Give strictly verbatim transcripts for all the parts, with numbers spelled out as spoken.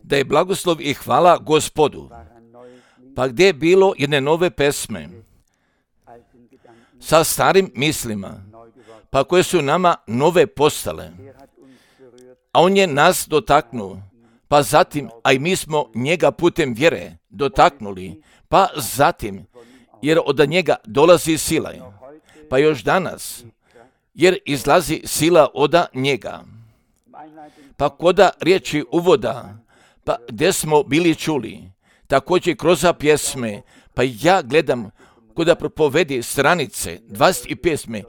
Da je blagoslov i hvala Gospodu. Pa gdje je bilo jedne nove pesme sa starim mislima, pa koje su nama nove postale. A on je nas dotaknuo, pa zatim, a i mi smo njega putem vjere dotaknuli, pa zatim, jer od njega dolazi sila, pa još danas, jer izlazi sila od njega. Pa koda riječi uvoda, pa gdje smo bili čuli, također kroz pjesme, pa ja gledam koda propovedi stranice dvadeset pjesme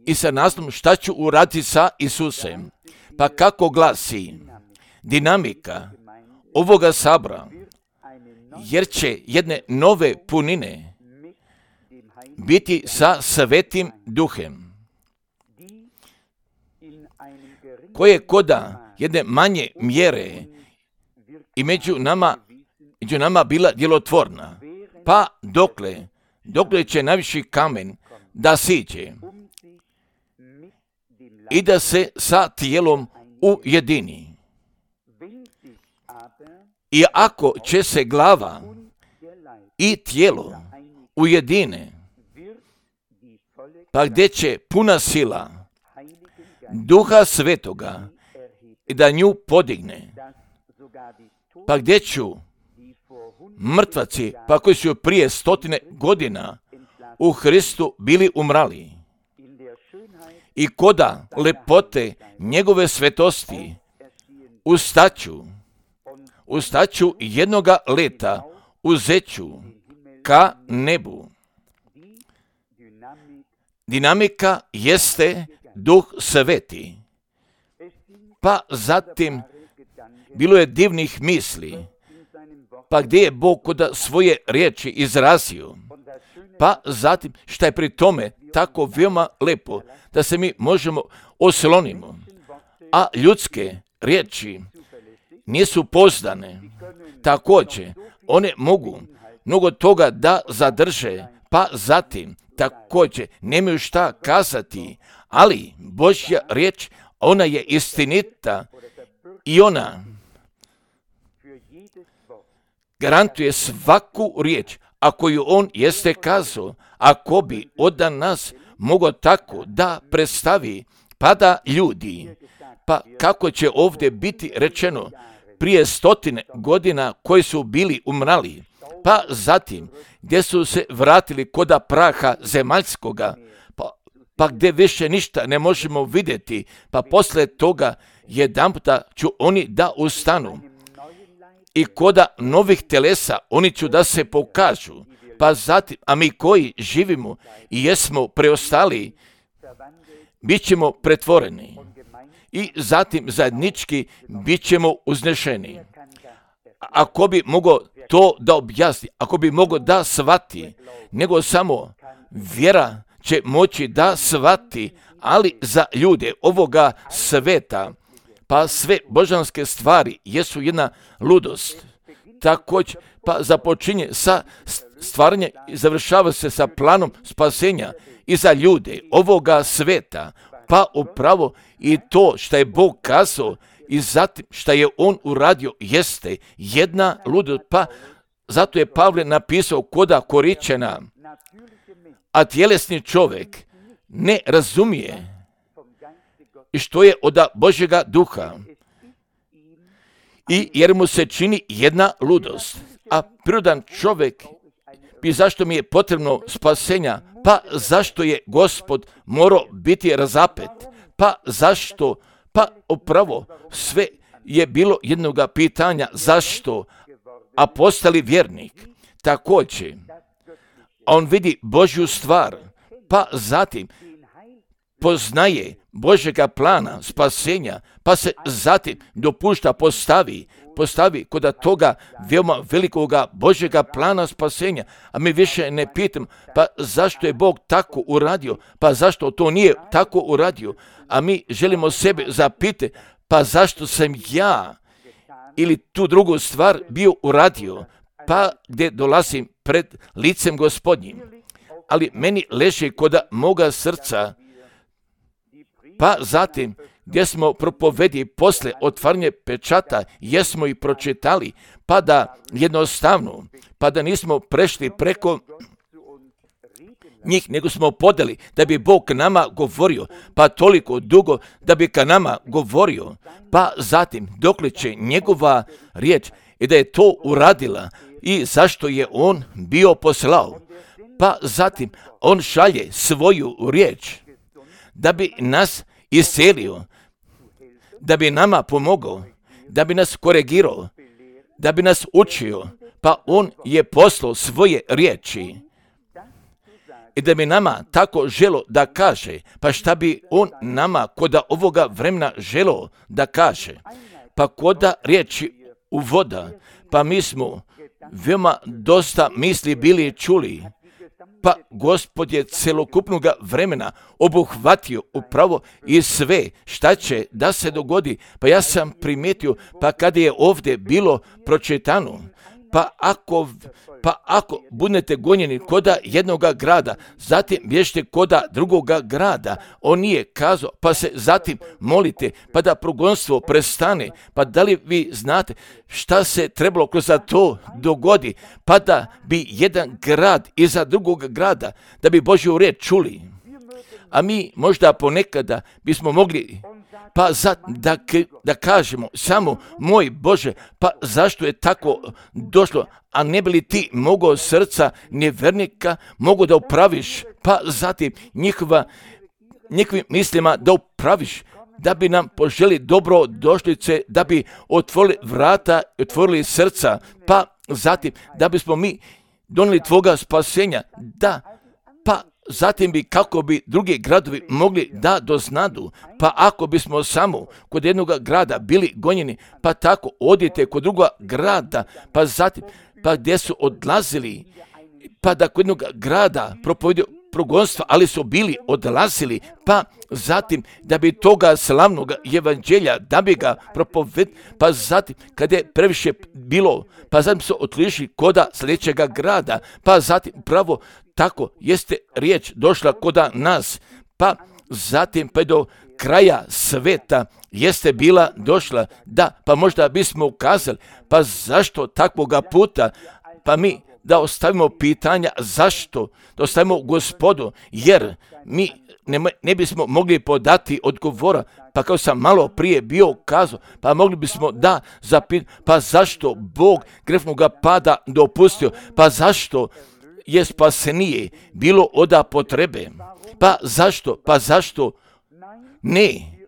i sa naslovom šta ću uraditi sa Isusem, pa kako glasi dinamika ovoga sabora, jer će jedne nove punine biti sa Svetim Duhem, koje koda jedne manje mjere i među nama, među nama bila djelotvorna, pa dokle, dokle će najviši kamen da siđe i da se sa tijelom ujedini. I ako će se glava i tijelo ujedine, pa gdje će puna sila Duha Svetoga i da nju podigne, pa gdje ću mrtvaci, pa koji su prije stotine godina u Hristu bili umrali, i koda lepote njegove svetosti ustaću, ustaću jednoga leta, uzeću ka nebu. Dinamika jeste Duh Sveti. Pa zatim bilo je divnih misli, pa gdje je Bog koda svoje riječi izrazio, pa zatim šta je pri tome tako veoma lepo da se mi možemo oslonimo, a ljudske riječi nisu pouzdane. Također one mogu mnogo toga da zadrže, pa zatim također nemaju šta kazati, ali Božja riječ, ona je istinita i ona garantuje svaku riječ, ako ju on jeste kazao, ako bi od nas mogao tako da predstavi, pa da ljudi, pa kako će ovdje biti rečeno, prije stotine godina koji su bili umrali, pa zatim gdje su se vratili koda praha zemaljskoga, pa, pa gdje više ništa ne možemo vidjeti, pa poslije toga jedanputa ću oni da ustanu. I koda novih telesa oni ću da se pokažu, pa zatim, a mi koji živimo i jesmo preostali, bit ćemo pretvoreni i zatim zajednički bit ćemo uznešeni. Ako bi mogao to da objasni, ako bi mogao da shvati, nego samo vjera će moći da shvati, ali za ljude ovoga sveta, pa sve božanske stvari jesu jedna ludost. Također, pa započinje sa stvaranjem i završava se sa planom spasenja i za ljude ovoga sveta, pa upravo i to što je Bog kazao i zatim što je on uradio jeste jedna ludost, pa zato je Pavle napisao koda Koričana, a tjelesni čovjek ne razumije i što je od Božjega duha, i jer mu se čini jedna ludost, a prirodan čovjek, i zašto mi je potrebno spasenja, pa zašto je Gospod morao biti razapet, pa zašto, pa upravo sve je bilo jednoga pitanja, zašto, a postali vjernik. Također, on vidi Božju stvar, pa zatim poznaje Božjega plana spasenja, pa se zatim dopušta postavi, postavi kod toga veoma velikoga Božjega plana spasenja, a mi više ne pitamo, pa zašto je Bog tako uradio, pa zašto to nije tako uradio, a mi želimo sebe zapitati, pa zašto sam ja ili tu drugu stvar bio uradio, pa gdje dolazim pred licem Gospodnjim. Ali meni leži kod moga srca, pa zatim gdje smo propovedi posle otvaranje pečata, jesmo i pročitali, pa da jednostavno, pa da nismo prešli preko njih, nego smo podeli da bi Bog nama govorio, pa toliko dugo da bi ka nama govorio, pa zatim dokle će njegova riječ i da je to uradila i zašto je on bio poslao, pa zatim on šalje svoju riječ da bi nas iscelio, da bi nama pomogao, da bi nas korigirao, da bi nas učio, pa on je poslao svoje riječi. I da bi nama tako želo da kaže, pa šta bi on nama koda ovoga vremena želo da kaže, pa koda riječi uvoda, pa mi smo veoma dosta misli bili čuli, pa Gospod je celokupnog vremena obuhvatio upravo i sve šta će da se dogodi, pa ja sam primijetio, pa kada je ovdje bilo pročitano, pa ako, pa ako budete gonjeni koda jednoga grada, zatim bježite koda drugoga grada, on nije kazao, pa se zatim molite, pa da progonstvo prestane, pa da li vi znate šta se trebalo kroz to dogodi, pa da bi jedan grad iza drugog grada, da bi Božju riječ čuli. A mi možda ponekada bismo mogli pa za, da, da kažemo samo, moj Bože, pa zašto je tako došlo, a ne bi li ti mogao srca nevjernika mogu da upraviš, pa zatim njihova, njihovim mislima da upraviš, da bi nam poželi dobro došlice, da bi otvorili vrata, otvorili srca, pa zatim da bismo mi donijeli tvoga spasenja, da, pa zatim bi kako bi drugi gradovi mogli da doznadu, pa ako bismo samo kod jednog grada bili gonjeni, pa tako odite kod drugog grada, pa zatim, pa gdje su odlazili, pa da kod jednog grada propovedu progonstva, ali su bili odlazili, pa zatim da bi toga slavnog evanđelja, da bi ga propovedili, pa zatim kad je previše bilo, pa zatim su otišli koda sljedećega grada, pa zatim pravo tako jeste riječ došla koda nas, pa zatim pa do kraja sveta jeste bila došla, da, pa možda bismo ukazali, pa zašto takvoga puta, pa mi da ostavimo pitanja zašto, da ostavimo Gospodu, jer mi ne, ne bismo mogli podati odgovora, pa kao sam malo prije bio kazao, pa mogli bismo da zapitati, pa zašto Bog grefnoga pada dopustio, pa zašto je spasenije bilo oda potrebe, pa zašto, pa zašto ne,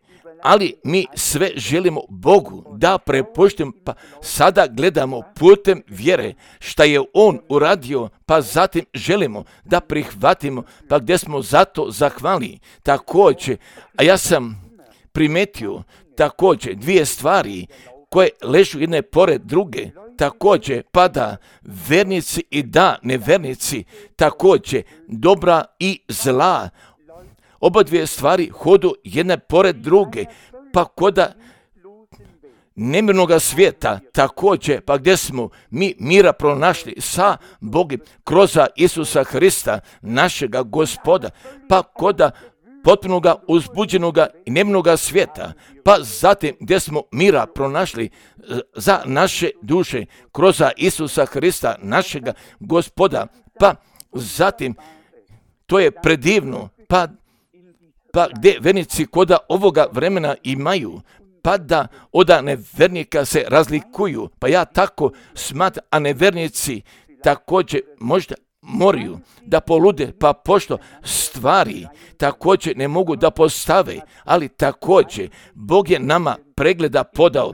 ali mi sve želimo Bogu da prepuštimo, pa sada gledamo putem vjere šta je On uradio, pa zatim želimo da prihvatimo, pa gdje smo zato zahvali. Također, a ja sam primetio također dvije stvari koje ležu jedne pored druge, također pada vernici i da nevernici, također dobra i zla. Oba dvije stvari hodu jedne pored druge, pa koda nemirnoga svijeta također, pa gdje smo mi mira pronašli sa Bogom kroz Isusa Hrista, našega Gospoda, pa koda potpunoga uzbuđenoga i nemirnoga svijeta, pa zatim gdje smo mira pronašli za naše duše kroz Isusa Hrista, našega Gospoda, pa zatim to je predivno, pa pa gdje vernici koda ovoga vremena imaju, pa da od nevernika se razlikuju, pa ja tako smatram, a nevernici također možda moraju da polude, pa pošto stvari također ne mogu da postave, ali također Bog je nama pregleda podao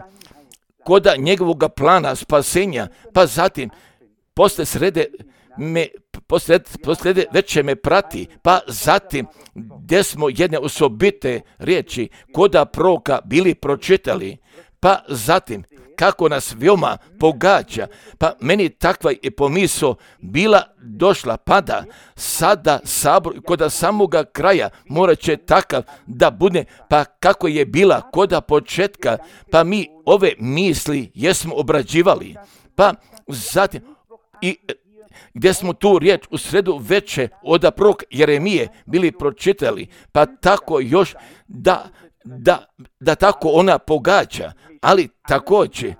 koda njegovog plana spasenja, pa zatim posle srede me Posled, poslede veće me prati, pa zatim gdje smo jedne osobite riječi koda proroka bili pročitali, pa zatim kako nas veoma pogađa, pa meni takva je pomisao bila došla, pa da sada sabor koda samoga kraja mora će takav da bude, pa kako je bila koda početka, pa mi ove misli jesmo obrađivali, pa zatim i gdje smo tu riječ u sredu veće od proroka Jeremije bili pročitali, pa tako još da da, da tako ona pogađa, ali također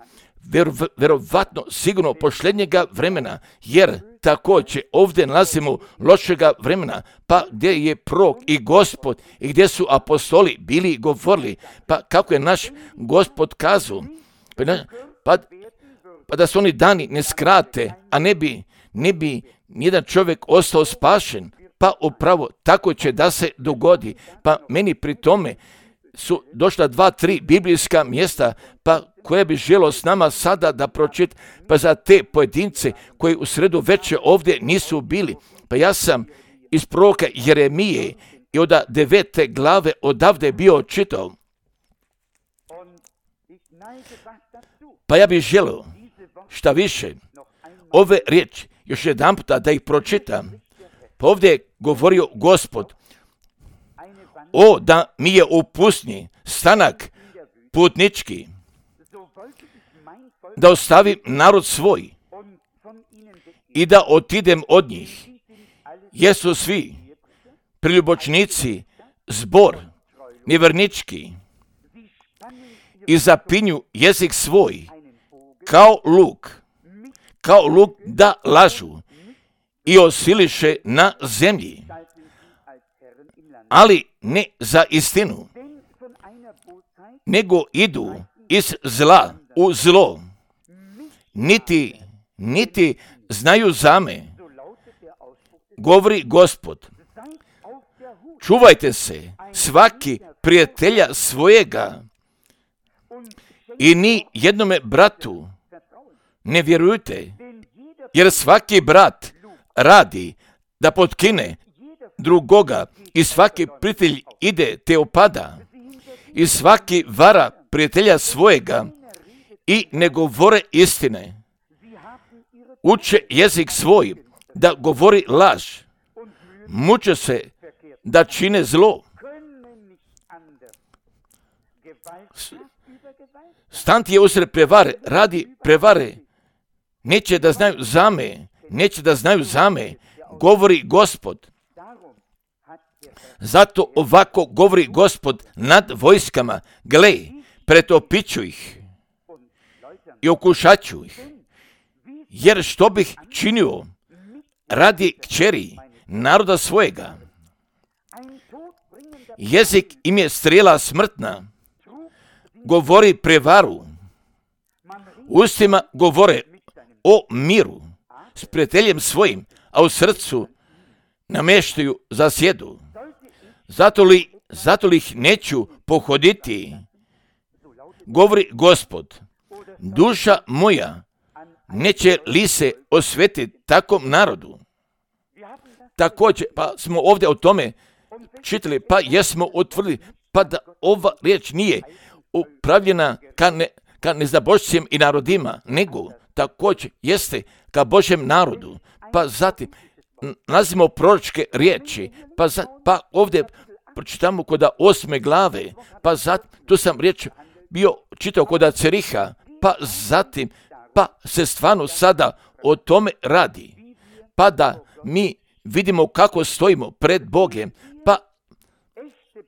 vjerovatno sigurno posljednjega vremena, jer također ovdje nalazimo lošega vremena, pa gdje je prorok i Gospod i gdje su apostoli bili govorili, pa kako je naš Gospod kazao, pa, pa, pa da su oni dani ne skrate, a ne bi, ne bi nijedan čovjek ostao spašen, pa upravo tako će da se dogodi. Pa meni pri tome su došla dva, tri biblijska mjesta, pa koje bi želo s nama sada da pročit, pa za te pojedince koji u sredu večer ovdje nisu bili. Pa ja sam iz proroka Jeremije i od devete glave odavde bio čitao. Pa ja bih želio šta više ove riječi još jedan puta da ih pročitam. Pa ovdje je govorio Gospod: o, da mi je u pustinji stanak putnički, da ostavim narod svoj i da otidem od njih, jer su svi priljubočnici, zbor nevjernički, i zapinju jezik svoj kao luk, kao luk da lažu i osiliše na zemlji, ali ne za istinu, nego idu iz zla u zlo, niti, niti znaju za me, govori Gospod. Čuvajte se svaki prijatelja svojega i ni jednome bratu ne vjerujte, jer svaki brat radi da potkine drugoga i svaki prijatelj ide te opada i svaki vara prijatelja svojega i ne govore istine. Uče jezik svoj da govori laž, muče se da čine zlo. Stanti je usred prevare, radi prevare, neće da znaju za me, neće da znaju za me, govori Gospod. Zato ovako govori Gospod nad vojskama: gle, pretopiću ih i okušaću ih, jer što bih činio radi kćeri naroda svojega. Jezik im je strijela smrtna, govori prevaru, ustima govore o miru s prijateljem svojim, a u srcu namještaju zasjedu. Zato li, zato li ih neću pohoditi, govori Gospod. Duša moja neće li se osvetiti takvom narodu. Također, pa smo ovdje o tome čitali, pa jesmo utvrdili, pa da ova riječ nije upravljena ka, ne, ka neznabošćim i narodima, nego također jeste ka Božjem narodu. Pa zatim nalazimo proročke riječi, pa, za, pa ovdje pročitamo kod osme glave, pa zatim tu sam riječ bio čitao kod Ceriha, pa zatim pa se stvarno sada o tome radi, pa da mi vidimo kako stojimo pred Bogem, pa,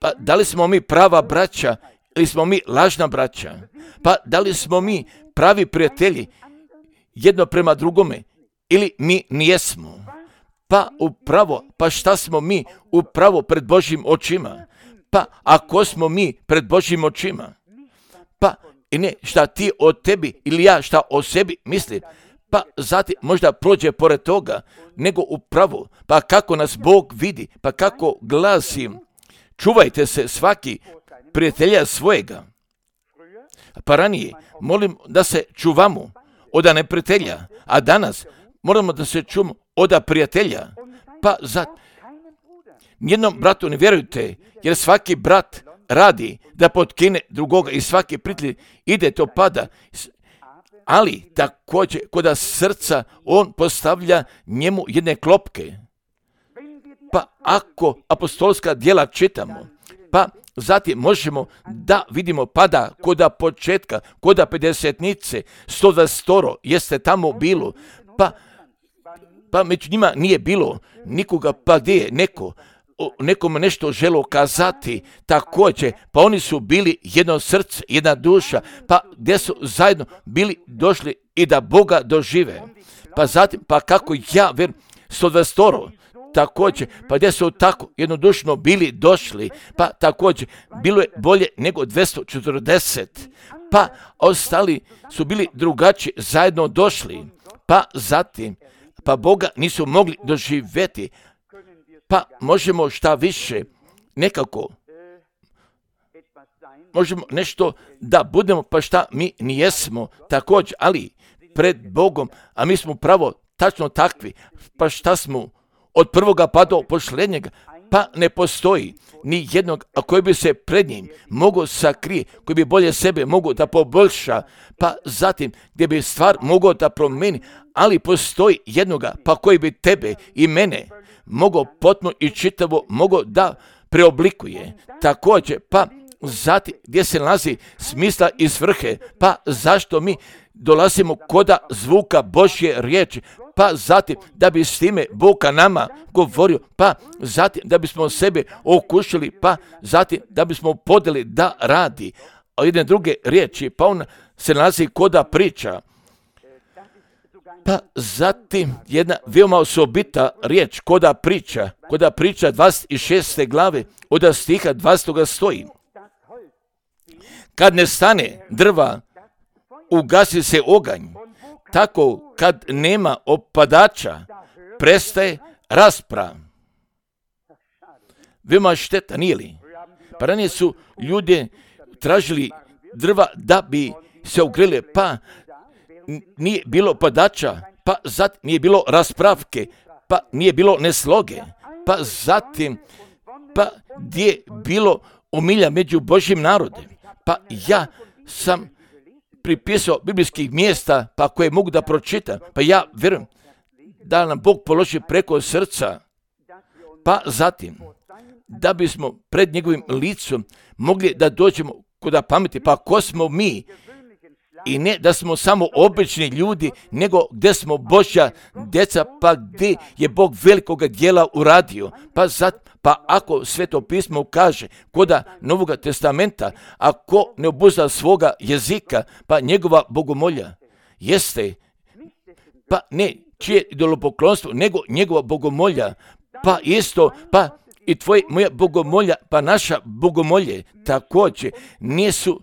pa da li smo mi prava braća ili smo mi lažna braća, pa da li smo mi pravi prijatelji jedno prema drugome ili mi nijesmo. Pa upravo, pa šta smo mi upravo pred Božjim očima? Pa ako smo mi pred Božjim očima? Pa i ne šta ti o tebi ili ja šta o sebi mislim, pa zatim možda prođe pored toga, nego upravo, pa kako nas Bog vidi, pa kako glasi: čuvajte se svaki prijatelja svojega. Pa ranije molim da se čuvamo od neprijatelja, a danas moramo da se čuvamo od prijatelja. Pa za nijednom bratu ne vjerujte, jer svaki brat radi da potkine drugoga i svaki prijatelj ide to pada. Ali također kod srca on postavlja njemu jedne klopke. Pa ako apostolska djela čitamo, pa zatim možemo da vidimo pada kod početka, kod pedesetnice, sto dvadeset jeste tamo bilo, pa, pa među njima nije bilo nikoga, pa gdje je neko o nekom nešto želo kazati, također, pa oni su bili jedno srce, jedna duša, pa gdje su zajedno bili došli i da Boga dožive. Pa zatim, pa kako ja verujem, sto dvadeset također, pa gdje su tako jednodušno bili došli, pa također, bilo je bolje nego dvjesto četrdeset, pa ostali su bili drugačiji, zajedno došli, pa zatim, pa Boga nisu mogli doživjeti, pa možemo šta više, nekako, možemo nešto da budemo, pa šta mi nijesmo također, ali pred Bogom, a mi smo pravo tačno takvi, pa šta smo od prvoga pa do posljednjega, pa ne postoji ni jednog, a koji bi se pred njim mogao sakrije, koji bi bolje sebe mogao da poboljša, pa zatim gdje bi stvar mogao da promijeni, ali postoji jednoga, pa koji bi tebe i mene mogao potpuno i čitavo mogao da preoblikuje. Također, pa zatim gdje se nalazi smisla i svrhe, pa zašto mi dolazimo koda zvuka Božje riječi, pa zatim da bi s time Boga nama govorio, pa zatim da bismo sebe okušali, pa zatim da bismo podeli da radi. A jedne druge riječi, pa on se nalazi koda priča. Pa zatim jedna veoma osobita riječ, koda priča, koda priča dvadeset šeste glave, od stiha dvadeset stoji. Kad ne stane drva, ugasi se oganj, tako kad nema opadača, prestaje rasprava. Veoma šteta, nije li? Pa ranije su ljudi tražili drva da bi se ogreli, pa nije bilo opadača, pa zatim nije bilo raspravke, pa nije bilo nesloge, pa zatim, pa gdje je bilo umilja među Božjim narodem. Pa ja sam pripisao biblijskih mjesta, pa koje mogu da pročitam, pa ja vjerujem da nam Bog položi preko srca, pa zatim da bismo pred njegovim licom mogli da dođemo kod pameti, pa ko smo mi, i ne da smo samo obični ljudi, nego gdje smo Božja djeca, pa gdje je Bog velikoga djela uradio. Pa, zat, pa ako Sveto pismo kaže koda Novoga testamenta, ako ne obuzda svoga jezika, pa njegova bogomolja jeste, pa ne čije idolopoklonstvo, nego njegova bogomolja, pa isto, pa i tvoje, moja bogomolja, pa naša bogomolje također nisu,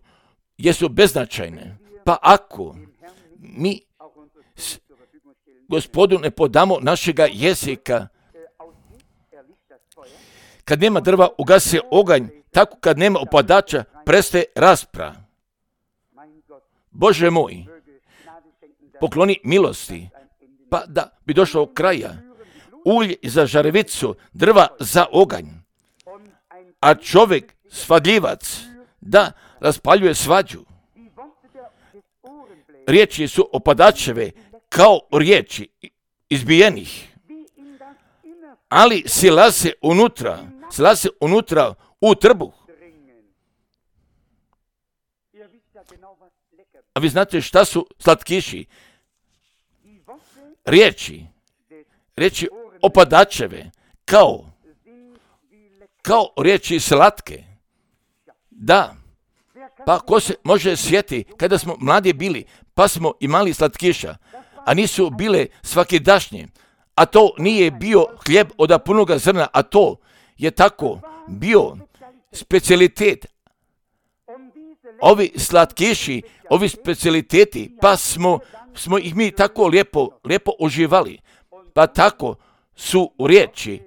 jesu beznačajne. Pa ako mi Gospodu ne podamo našega jezika, kad nema drva, ugasi se oganj, tako kad nema opadača, prestaje rasprava. Bože moj, pokloni milosti, pa da bi došlo do kraja, ulje za žarevicu, drva za oganj, a čovjek svadljivac da raspaljuje svađu. Riječi su opadačeve kao riječi izbijenih, ali silaze unutra, silaze unutra u trbuh. A vi znate šta su slatkiši? Riječi, riječi opadačeve, kao, kao riječi slatke. Da, pa ko se može sjeti kada smo mladi bili, pa smo imali slatkiša, a nisu bile svakidašnje, a to nije bio hljeb od punoga zrna, a to je tako bio specijalitet. Ovi slatkiši, ovi specijaliteti, pa smo, smo ih mi tako lijepo, lijepo uživali, pa tako su u riječi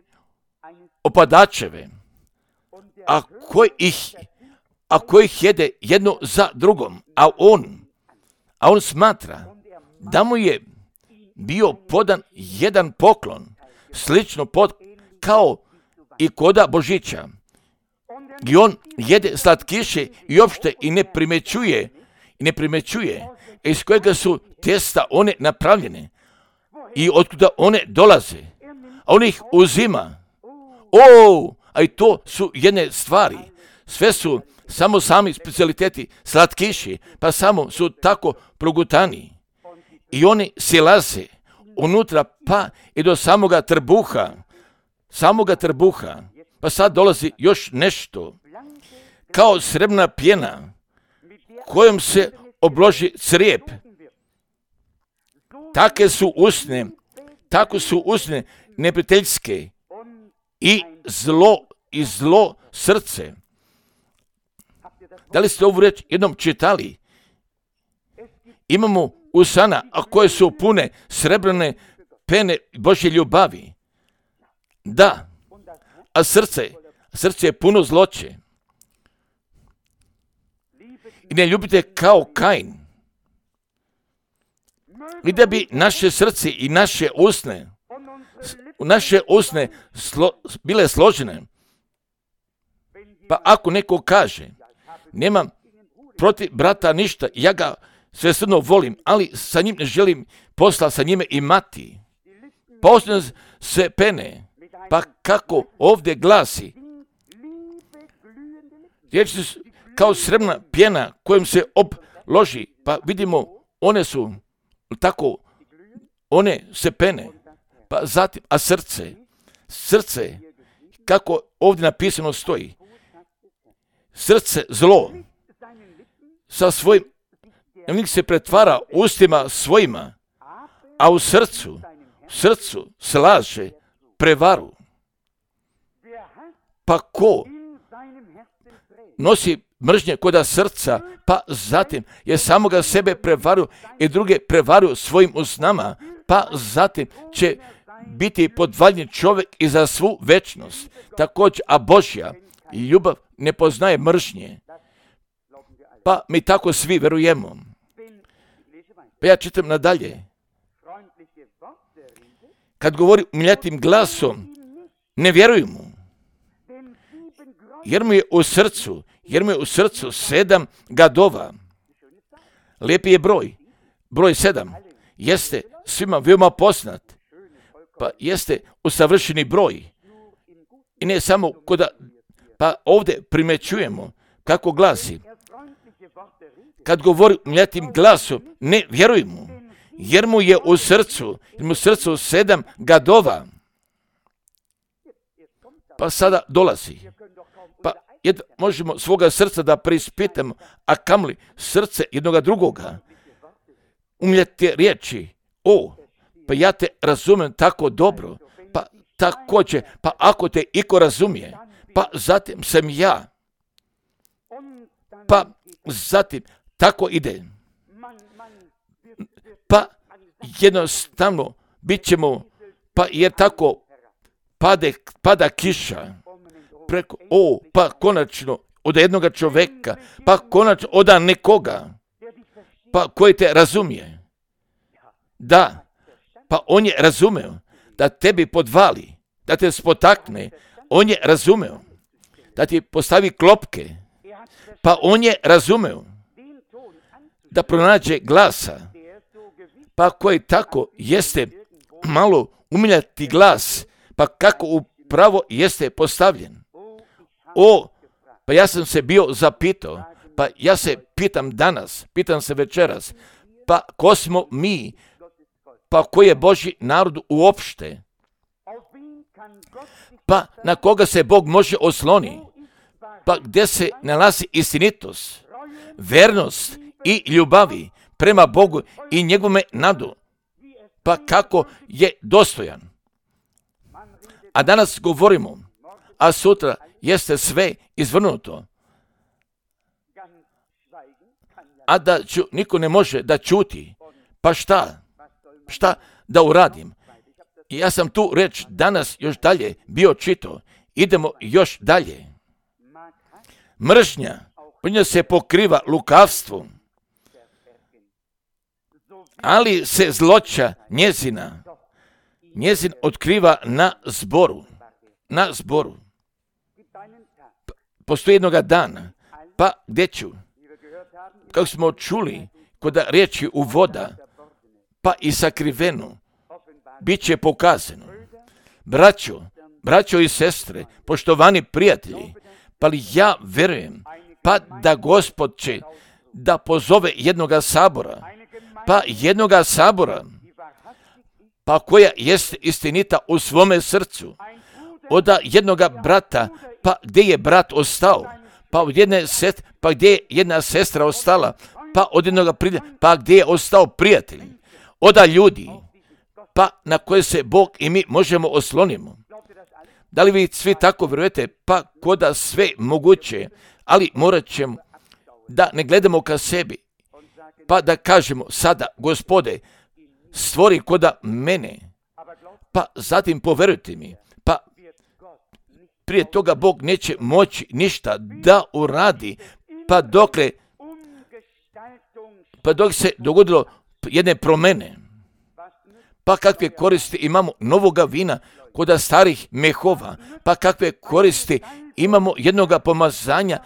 opadačeve, a koji ih, a koji ih jede jedno za drugom, a on, a on smatra da mu je bio podan jedan poklon, slično pod, kao i koda Božića. I on jede slatkiše i uopšte i ne primećuje, i ne primećuje iz kojega su testa one napravljene i otkuda one dolaze. A on ih uzima. O, a i to su jedne stvari. Sve su samo sami specijaliteti slatkiši, pa samo su tako progutani. I oni silaze unutra, pa i do samoga trbuha, samoga trbuha. Pa sad dolazi još nešto. Kao srebrna pjena kojom se obloži crijep. Take su usne, tako su usne neprijateljske i zlo, i zlo srce. Da li ste ovu reč jednom čitali? Imamo usana, a koje su pune srebrne pene Božje ljubavi. Da, a srce, srce je puno zloće. I ne ljubite kao Kain. I da bi naše srce i naše usne, naše usne slo, bile složene. Pa ako neko kaže, nemam protiv brata ništa, ja ga svesrdno volim, ali sa njim ne želim posla sa njime imati. Posljedno se pene, pa kako ovdje glasi, riječi su kao srebrna pjena kojom se obloži, pa vidimo, one su tako, one se pene, pa zatim, a srce, srce, kako ovdje napisano stoji, srce zlo, sa svojim, nek se pretvara ustima svojima, a u srcu, srcu slaže prevaru. Pa ko nosi mržnje koda srca, pa zatim je samoga sebe prevaru i druge prevaru svojim usnama, pa zatim će biti podvaljen čovjek i za svu večnost. Također, a Božja ljubav ne poznaje mržnje. Pa mi tako svi verujemo. Pa ja čitam nadalje. Kad govori umiljatim glasom, ne vjeruj mu. Jer mu je u srcu, jer mu je u srcu sedam gadova. Lijepi je broj. Broj sedam jeste svima veoma poznat. Pa jeste usavršeni broj. I ne samo koda, pa ovdje primećujemo kako glasi. Kad govori umiljatim glasom, ne vjeruj mu. Jer mu je u srcu, jer mu u srcu sedam gadova. Pa sada dolazi. Pa jed, možemo svoga srca da preispitamo, a kamli srce jednoga drugoga. Umljete riječi, o, pa ja te razumijem tako dobro, pa također, pa ako te iko razumije, pa zatim sam ja. Pa zatim tako ide. Pa jednostavno bit ćemo, pa jer tako pade, pada kiša preko, o, pa konačno od jednoga čovjeka, pa konačno od nekoga, pa koji te razumije. Da, pa on je razumeo da tebi podvali, da te spotakne, on je razumeo da ti postavi klopke, pa on je razumeo da pronađe glasa, pa koji tako jeste malo umiljati glas, pa kako upravo jeste postavljen. O, pa ja sam se bio zapitao, pa ja se pitam danas, pitam se večeras, pa ko smo mi, pa koji je Božji narod uopšte, pa na koga se Bog može osloni, pa gdje se nalazi istinitost, vernost i ljubavi prema Bogu i njegove nadu, pa kako je dostojan. A danas govorimo, a sutra jeste sve izvrnuto. A da ću, niko ne može da ćuti. Pa šta? Šta da uradim? I ja sam tu reč danas još dalje bio čitao. Idemo još dalje. Mržnja, nja se pokriva lukavstvom, ali se zloća njezina, njezin otkriva na zboru. Na zboru. Postoji jednoga dana, pa gdje ću, kako smo čuli, kod riječi u voda, pa i sakriveno, bit će pokazano. Braćo, braćo i sestre, poštovani prijatelji, pa li ja verujem, pa da Gospod će da pozove jednoga sabora, pa jednoga sabora, pa koja jest istinita u svome srcu, od jednoga brata, pa gdje je brat ostao, pa od jedne sestre, pa gdje je jedna sestra ostala, pa od jednog prijatelja, pa gdje je ostao prijatelj, od ljudi, pa na koje se Bog i mi možemo oslonimo. Da li vi svi tako vjerujete? Pa koda sve moguće, ali morat ćemo da ne gledamo ka sebi, pa da kažemo sada, Gospode, stvori koda mene, pa zatim poverujte mi, pa prije toga Bog neće moći ništa da uradi, pa dokle, pa dok se dogodilo jedne promjene, pa kakve koristi imamo novoga vina koda starih mehova, pa kakve koristi imamo jednoga pomazanja,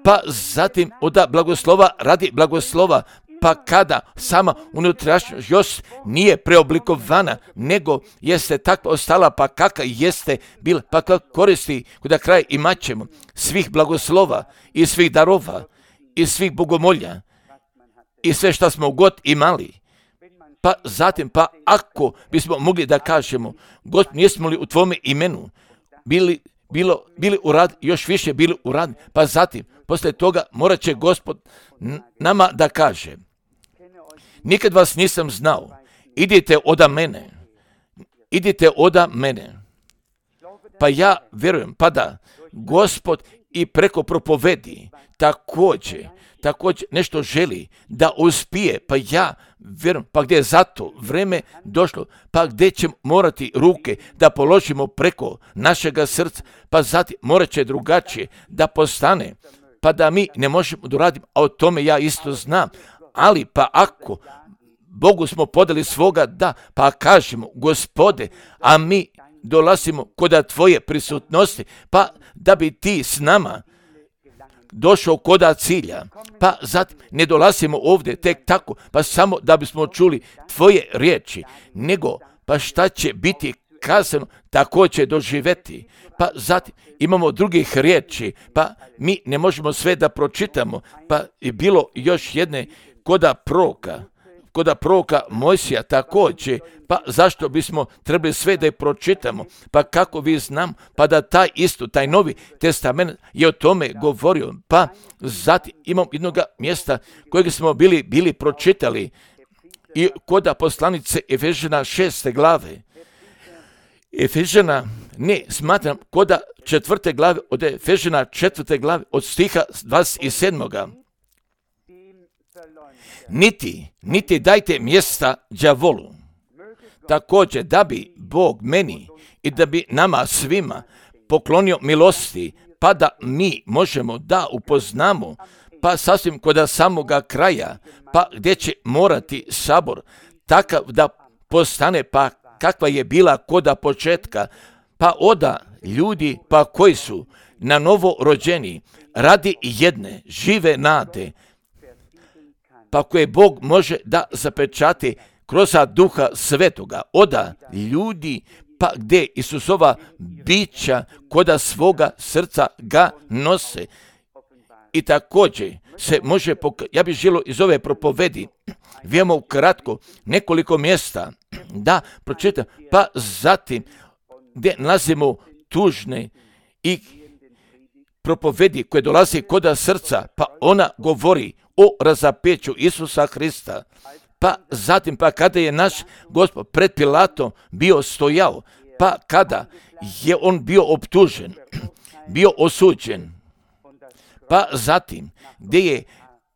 pa zatim od blagoslova radi blagoslova, pa kada sama unutrašnjost još nije preoblikovana, nego jeste takva ostala, pa kakva jeste bila, pa kakva koristi kuda kraj imat ćemo svih blagoslova i svih darova i svih bogomolja i sve što smo god imali. Pa zatim, pa ako bismo mogli da kažemo, Gospod, jesmo li u Tvome imenu bili, bilo, bili u rad, još više bili u rad, pa zatim, poslije toga morat će Gospod nama da kaže, nikad vas nisam znao, idite oda mene, idite oda mene. Pa ja vjerujem, pa da Gospod i preko propovedi također, također nešto želi da uspije, pa ja vjerujem, pa gdje je zato vreme došlo, pa gdje će morati ruke da položimo preko našega srca, pa zatim morat će drugačije da postane, pa da mi ne možemo da radimo, a o tome ja isto znam, ali pa ako Bogu smo podali svoga da, pa kažemo, Gospode, a mi dolazimo koda Tvoje prisutnosti, pa da bi Ti s nama došao koda cilja, pa zatim ne dolazimo ovdje tek tako, pa samo da bismo čuli Tvoje riječi, nego pa šta će biti kazano, tako će doživjeti. Pa zatim imamo drugih riječi, pa mi ne možemo sve da pročitamo, pa je bilo još jedne koda proroka, koda proroka Mojsija također, pa zašto bismo trebali sve da je pročitamo, pa kako vi znam, pa da taj isto, taj Novi Testament je o tome govorio, pa zatim imam jednog mjesta kojeg smo bili, bili pročitali i koda poslanice Efežana šeste glave. Efežana, ne, smatram, koda četvrte glave, od Efežana četvrte glave, od stiha dvadeset sedmog Niti, niti dajte mjesta đavolu. Također da bi Bog meni i da bi nama svima poklonio milosti, pa da mi možemo da upoznamo, pa sasvim koda samoga kraja, pa gdje će morati sabor takav da postane, pa kakva je bila koda početka, pa oda ljudi, pa koji su na novo rođeni radi jedne žive nade, pa koje Bog može da zapečati kroz Duha Svetoga, oda ljudi, pa gdje Isusova bića koda svoga srca ga nose. I također se može, pok- ja bih želio iz ove propovedi, vijemo ukratko nekoliko mjesta da pročitam, pa zatim gdje nalazimo tužne i propovedi koje dolazi koda srca, pa ona govori o razapeću Isusa Hrista. Pa zatim, pa kada je naš Gospod pred Pilatom bio stojao, pa kada je on bio optužen, bio osuđen, pa zatim gdje je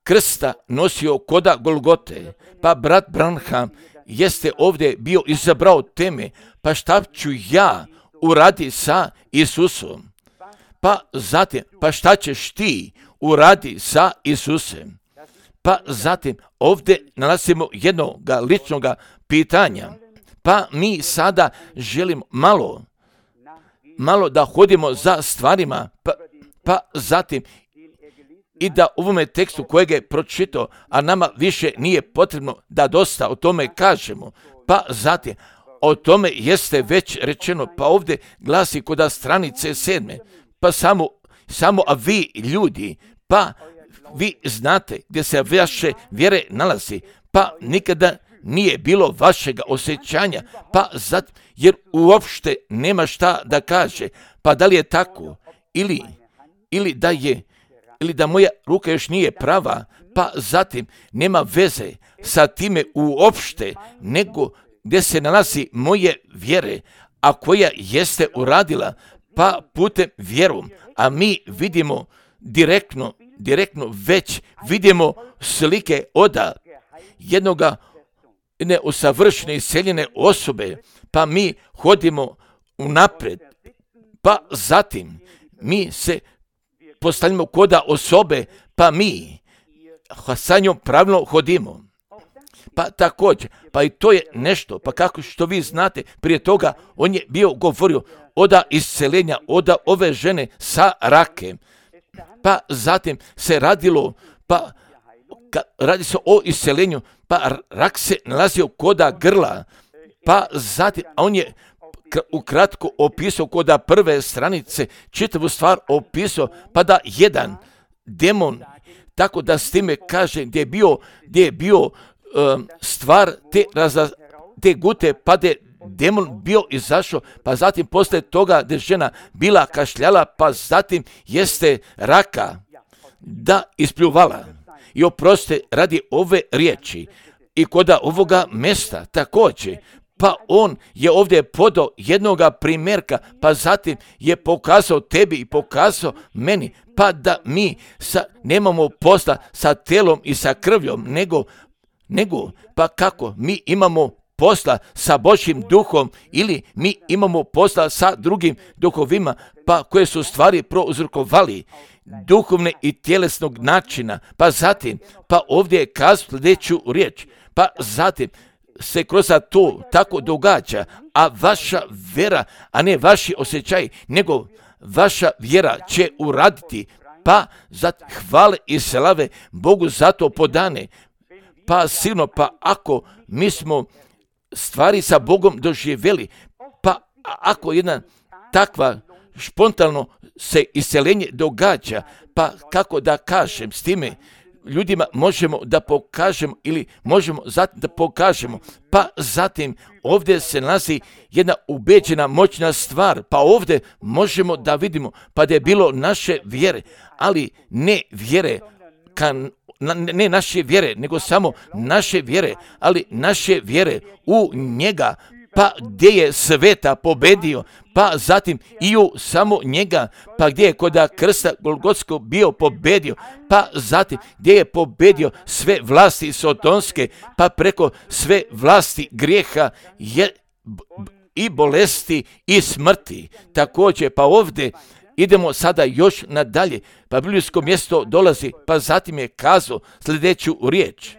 krsta nosio koda Golgote, pa brat Branham jeste ovdje bio izabrao teme, pa šta ću ja uradi sa Isusom? Pa zatim, pa šta ćeš ti uradi sa Isusem? Pa zatim ovdje nalazimo jednog ličnog pitanja. Pa mi sada želimo malo, malo da hodimo za stvarima, pa, pa zatim i da u ovome tekstu kojeg je pročitao, a nama više nije potrebno da dosta o tome kažemo, pa zatim o tome jeste već rečeno, pa ovdje glasi koda stranice sedme, pa samo, samo a vi ljudi, pa vi znate gdje se vaše vjere nalazi, pa nikada nije bilo vašega osjećanja, pa zat, jer uopšte nema šta da kaže, pa da li je tako, ili, ili da je, ili da moja ruka još nije prava, pa zatim nema veze sa time uopšte, nego gdje se nalazi moje vjere, a koja jeste uradila, pa putem vjerom, a mi vidimo direktno, direktno već vidimo slike od jednoga neusavršene iseljene osobe, pa mi hodimo unaprijed, pa zatim mi se postavljamo koda osobe, pa mi sa njom pravilno hodimo. Pa također, pa i to je nešto, pa kako što vi znate, prije toga on je bio govorio oda isceljenja, oda ove žene sa rakem, pa zatim se radilo, pa ka, radi se o isceljenju, pa rak se nalazio koda grla, pa zatim, a on je ukratko opisao koda prve stranice, čitavu stvar opisao, pa da jedan demon, tako da s time kaže gdje je bio, gdje je bio um, stvar te, raza, te gute, pa da je demon bio izašao, pa zatim posle toga gdje žena bila kašljala, pa zatim jeste raka da ispljuvala. I oproste radi ove riječi i koda ovoga mesta također, pa on je ovdje podao jednoga primjerka, pa zatim je pokazao tebi i pokazao meni, pa da mi sa, nemamo posla sa telom i sa krvljom, nego, nego pa kako mi imamo posla sa Božjim duhom ili mi imamo posla sa drugim duhovima, pa koje su stvari prouzrokovali duhovne i tjelesnog načina, pa zatim, pa ovdje je kazao sljedeću riječ, pa zatim se kroz to tako događa, a vaša vjera, a ne vaši osjećaj, nego vaša vjera će uraditi, pa za hvale i slave Bogu za to podane. Pa silno, pa ako mi smo stvari sa Bogom doživjeli, pa ako jedna takva spontano se isceljenje događa, pa kako da kažem s time, ljudima možemo da pokažemo ili možemo zatim da pokažemo, pa zatim ovdje se nalazi jedna ubeđena moćna stvar, pa ovdje možemo da vidimo, pa da je bilo naše vjere, ali ne vjere, kan, ne naše vjere, nego samo naše vjere, ali naše vjere u njega, pa gdje je sveta pobedio, pa zatim i u samo njega, pa gdje je koda krsta Golgotskog bio pobedio, pa zatim gdje je pobedio sve vlasti sotonske, pa preko sve vlasti grijeha je, i bolesti i smrti. Također, pa ovdje idemo sada još nadalje, pa biblijsko mjesto dolazi, pa zatim je kazao sljedeću riječ.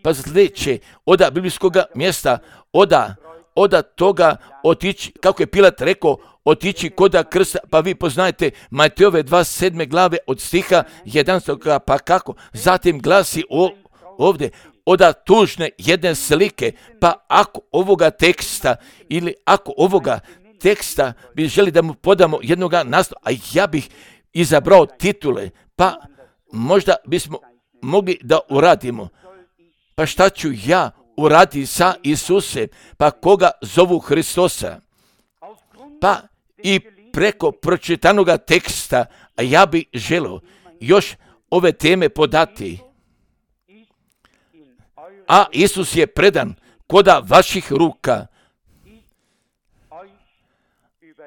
Pa sljedeće, oda biblijskog mjesta, oda oda toga otići, kako je Pilat rekao, otići koda krsta, pa vi poznajete Matejove dvadeset sedme glave od stiha jedanaestog, pa kako, zatim glasi o, ovdje, oda tužne jedne slike, pa ako ovoga teksta, ili ako ovoga teksta bi želi da mu podamo jednoga naslova, a ja bih izabrao titule, pa možda bismo mogli da uradimo, pa šta ću ja uradi sa Isusem, pa koga zovu Hristosa. Pa i preko pročitanoga teksta, a ja bih želio još ove teme podati. A Isus je predan koda vaših ruka,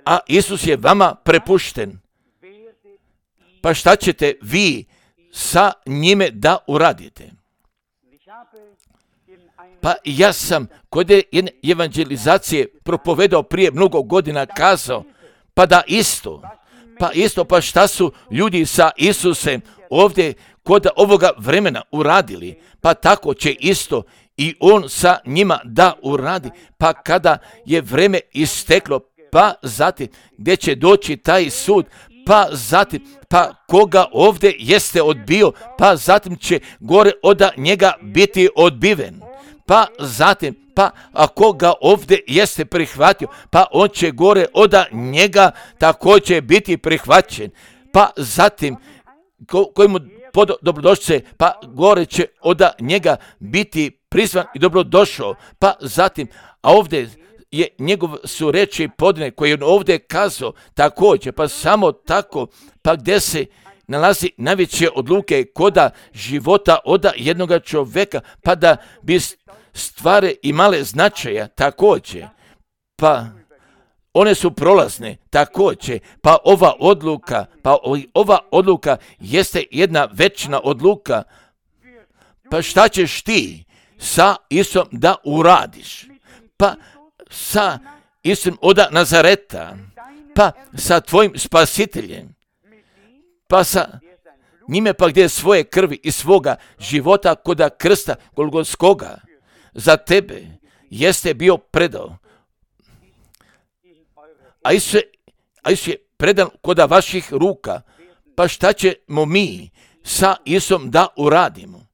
a Isus je vama prepušten. Pa šta ćete vi sa njime da uradite? Pa ja sam kod jedne evangelizacije propovedao prije mnogo godina kazao, pa da isto, pa isto, pa šta su ljudi sa Isusem ovdje kod ovoga vremena uradili, pa tako će isto i on sa njima da uradi, pa kada je vreme isteklo, pa zatim gdje će doći taj sud, pa zatim, pa koga ovdje jeste odbio, pa zatim će gore od njega biti odbiven. Pa zatim, pa ako ga ovdje jeste prihvatio, pa on će gore od njega također biti prihvaćen. Pa zatim, ko, koji mu dobrodošće, pa gore će od njega biti prizvan i dobro došao. Pa zatim, a ovdje je njegov su reči podne koje on ovdje kazao također, pa samo tako, pa gdje se nalazi najveće odluke koda života oda jednoga čovjeka, pa da bi stvari imale značaja također, pa one su prolazne također, pa ova odluka, pa ova odluka jeste jedna večna odluka. Pa šta ćeš ti sa Isom da uradiš? Pa sa Isom oda Nazareta, pa sa tvojim spasiteljem, pa sa njime pa gdje svoje krvi i svoga života koda krsta Golgotskoga za tebe jeste bio predao. A Isus je, a Isus je predan koda vaših ruka. Pa šta ćemo mi sa Isom da uradimo?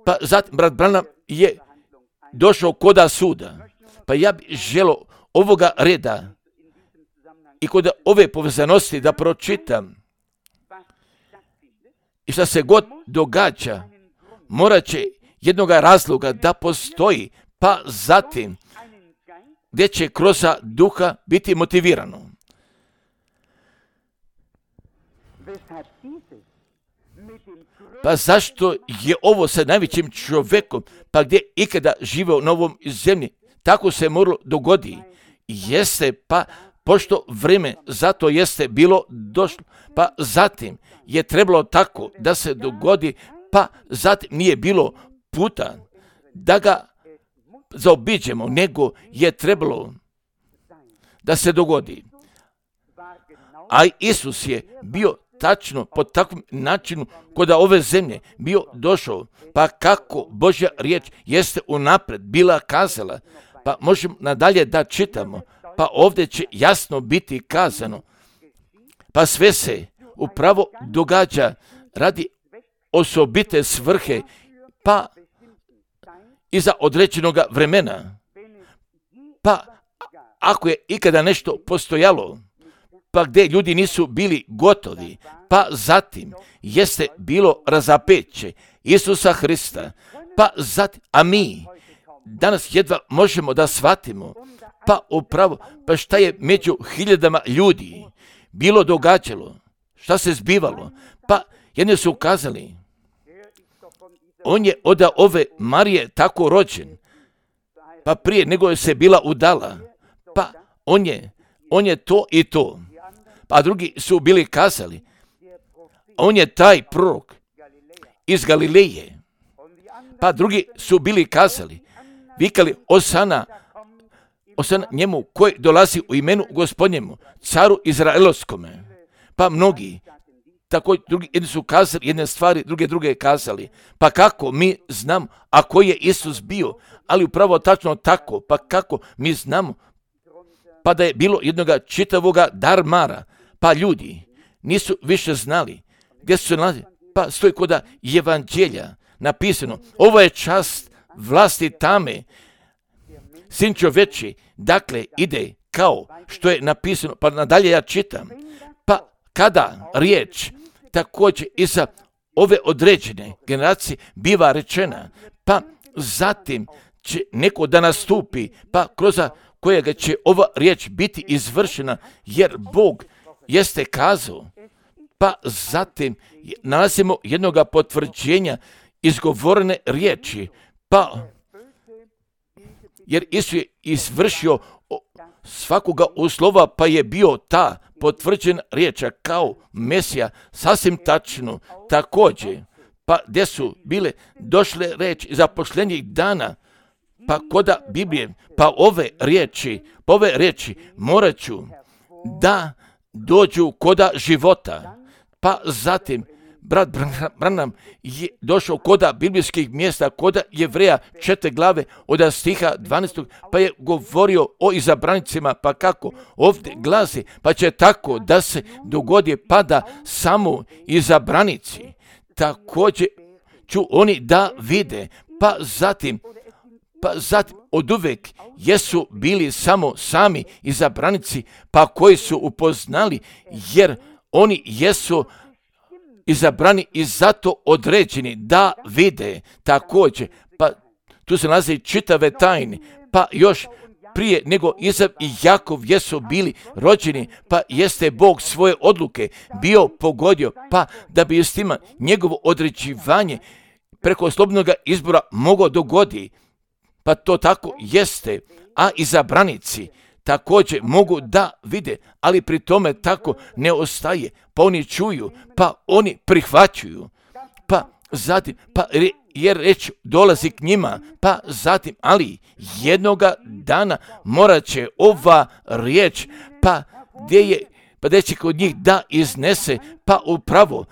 Pa zatim brat Branham je došao koda suda. Pa ja bih želio ovoga reda i kod ove povezanosti da pročitam. I šta se god događa, morat će jednoga razloga da postoji, pa zatim gdje će kroz duha biti motivirano. Pa zašto je ovo sa najvećim čovjekom, pa gdje ikada živeo na ovom zemlji, tako se moralo dogodi. Jeste, pa pošto vrijeme zato jeste bilo došlo, pa zatim je trebalo tako da se dogodi, pa zatim nije bilo puta da ga zaobiđemo, nego je trebalo da se dogodi. A Isus je bio tačno po takvom načinu kod ove zemlje bio došao, pa kako Božja riječ jeste unaprijed bila kazala, pa možemo nadalje da čitamo, pa ovdje će jasno biti kazano, pa sve se upravo događa radi osobite svrhe, pa iza određenog vremena. Pa ako je ikada nešto postojalo, pa gdje ljudi nisu bili gotovi, pa zatim jeste bilo razapeće Isusa Hrista, pa zatim, a mi danas jedva možemo da shvatimo, pa upravo, pa šta je među hiljadama ljudi bilo događalo, šta se zbivalo, pa jedni su ukazali, on je od ove Marije tako rođen, pa prije nego je se bila udala, pa on je, on je to i to. Pa drugi su bili kazali, on je taj prorok iz Galileje. Pa drugi su bili kazali, vikali Osana, Osana njemu koji dolazi u imenu Gospodnjemu, caru Izraelovskome. Pa mnogi, tako drugi, jedni su kazali jedne stvari, druge druge kazali. Pa kako mi znamo, a koji je Isus bio, ali upravo tačno tako, pa kako mi znamo, pa da je bilo jednoga čitavoga darmara, pa ljudi nisu više znali gdje su se nalazili, pa stoji koda evanđelja napisano, ovo je čast vlasti tame, sin čoveči, dakle ide kao što je napisano, pa nadalje ja čitam, pa kada riječ također i za ove određene generacije biva rečena, pa zatim će neko da nastupi, pa kroz kojega će ova riječ biti izvršena, jer Bog jeste kazao, pa zatim nalazimo jednoga potvrđenja izgovorene riječi, pa jer Isus je izvršio svakoga uslova, pa je bio ta potvrđena riječa kao Mesija, sasvim tačno, također, pa gdje su bile došle reči za posljednjih dana, pa koda Biblije, pa ove riječi, pa ove riječi morat ću da dođu koda života, pa zatim brat Branham je došao koda biblijskih mjesta, koda Jevreja četiri glave od stiha dvanaestog, pa je govorio o izabranicima, pa kako ovdje glasi, pa će tako da se dogodi, pa da samo izabranici također ću oni da vide, pa zatim pa zatim od uvek jesu bili samo sami izabranici, pa koji su upoznali, jer oni jesu izabrani i zato određeni da vide također, pa tu se nalaze čitave tajne, pa još prije nego Izav i Jakov jesu bili rođeni, pa jeste Bog svoje odluke bio pogodio, pa da bi s tima njegovo određivanje preko slobodnog izbora moglo dogodi, pa to tako jeste, a izabranici također mogu da vide, ali pri tome tako ne ostaje, pa oni čuju, pa oni prihvaćuju, pa zatim, pa re, jer reč dolazi k njima, pa zatim, ali jednoga dana morat će ova riječ, pa gdje je, pa gdje će kod njih da iznese, pa upravo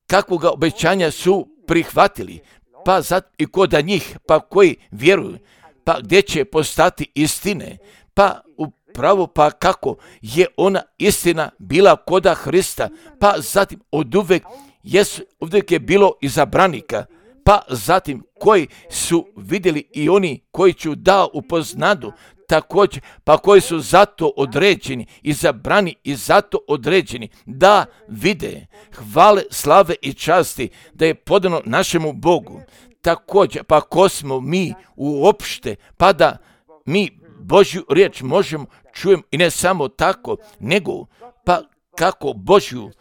kakvoga obećanja su prihvatili, pa zatim i kod njih, pa koji vjeruju, pa gdje će postati istine, pa upravo pa kako je ona istina bila koda Hrista, pa zatim od uvek jesu, uvijek je bilo izabranika, pa zatim koji su vidjeli i oni koji ću da upoznadu, također, pa koji su zato određeni, izabrani i zato određeni, da vide hvale, slave i časti, da je podano našemu Bogu. Također, pa ko smo mi uopšte, pa da mi Božju riječ možemo čujem i ne samo tako, nego pa kako Božju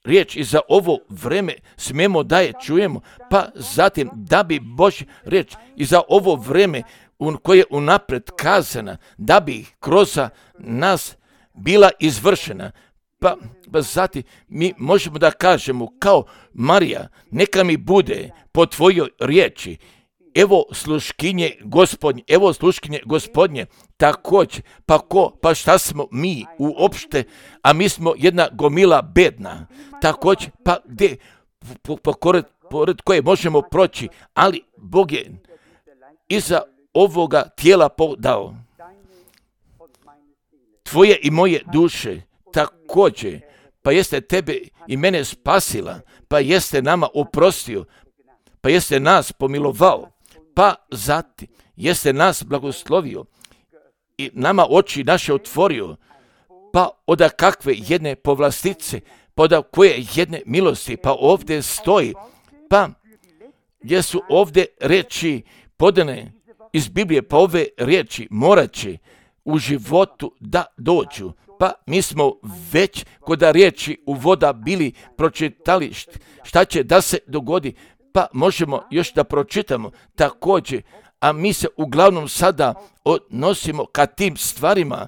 riječ i za ovo vreme smemo da je čujemo, pa zatim da bi Božja riječ i za ovo vreme koje je unapred kazana, da bi kroz nas bila izvršena. Pa, pa zatim mi možemo da kažemo kao Marija, neka mi bude po tvojoj riječi. Evo sluškinje Gospodnje, evo sluškinje Gospodnje, također, pa ko, pa šta smo mi uopšte, a mi smo jedna gomila bedna, također, pa gdje, po, po, pored, pored koje možemo proći, ali Bog je iza ovoga tijela podao tvoje i moje duše, također, pa jeste tebe i mene spasila, pa jeste nama oprostio, pa jeste nas pomilovao, pa zatim jeste nas blagoslovio i nama oči naše otvorio, pa oda kakve jedne povlastice, pa oda koje jedne milosti, pa ovdje stoji, pa gdje su ovdje reči podane iz Biblije, pa ove riječi morat će u životu da dođu. Pa mi smo već kod riječi u voda bili pročitali šta će da se dogodi, pa možemo još da pročitamo također, a mi se uglavnom sada odnosimo ka tim stvarima,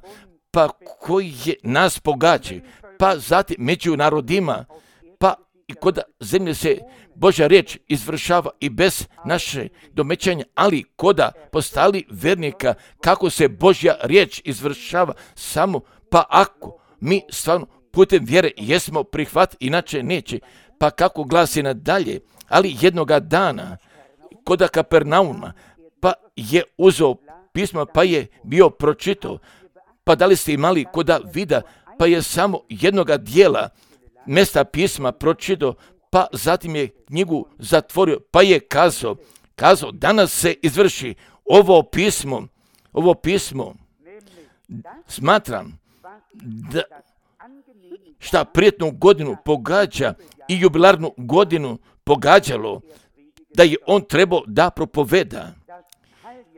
pa koji je nas pogađaju, pa zatim među narodima, pa i kod zemlje se Božja riječ izvršava i bez naše domećanja, ali koda postali vernika, kako se Božja riječ izvršava samo, pa ako mi stvarno putem vjere jesmo prihvat, inače neće, pa kako glasi nadalje, ali jednoga dana koda Kapernauma, pa je uzeo pismo, pa je bio pročitao, pa da li ste imali koda vida, pa je samo jednoga dijela mjesta pisma pročitao, pa zatim je knjigu zatvorio, pa je kazao, kazao, danas se izvrši ovo pismo, ovo pismo, smatram da šta prijetnu godinu pogađa i jubilarnu godinu pogađalo, da je on trebao da propoveda.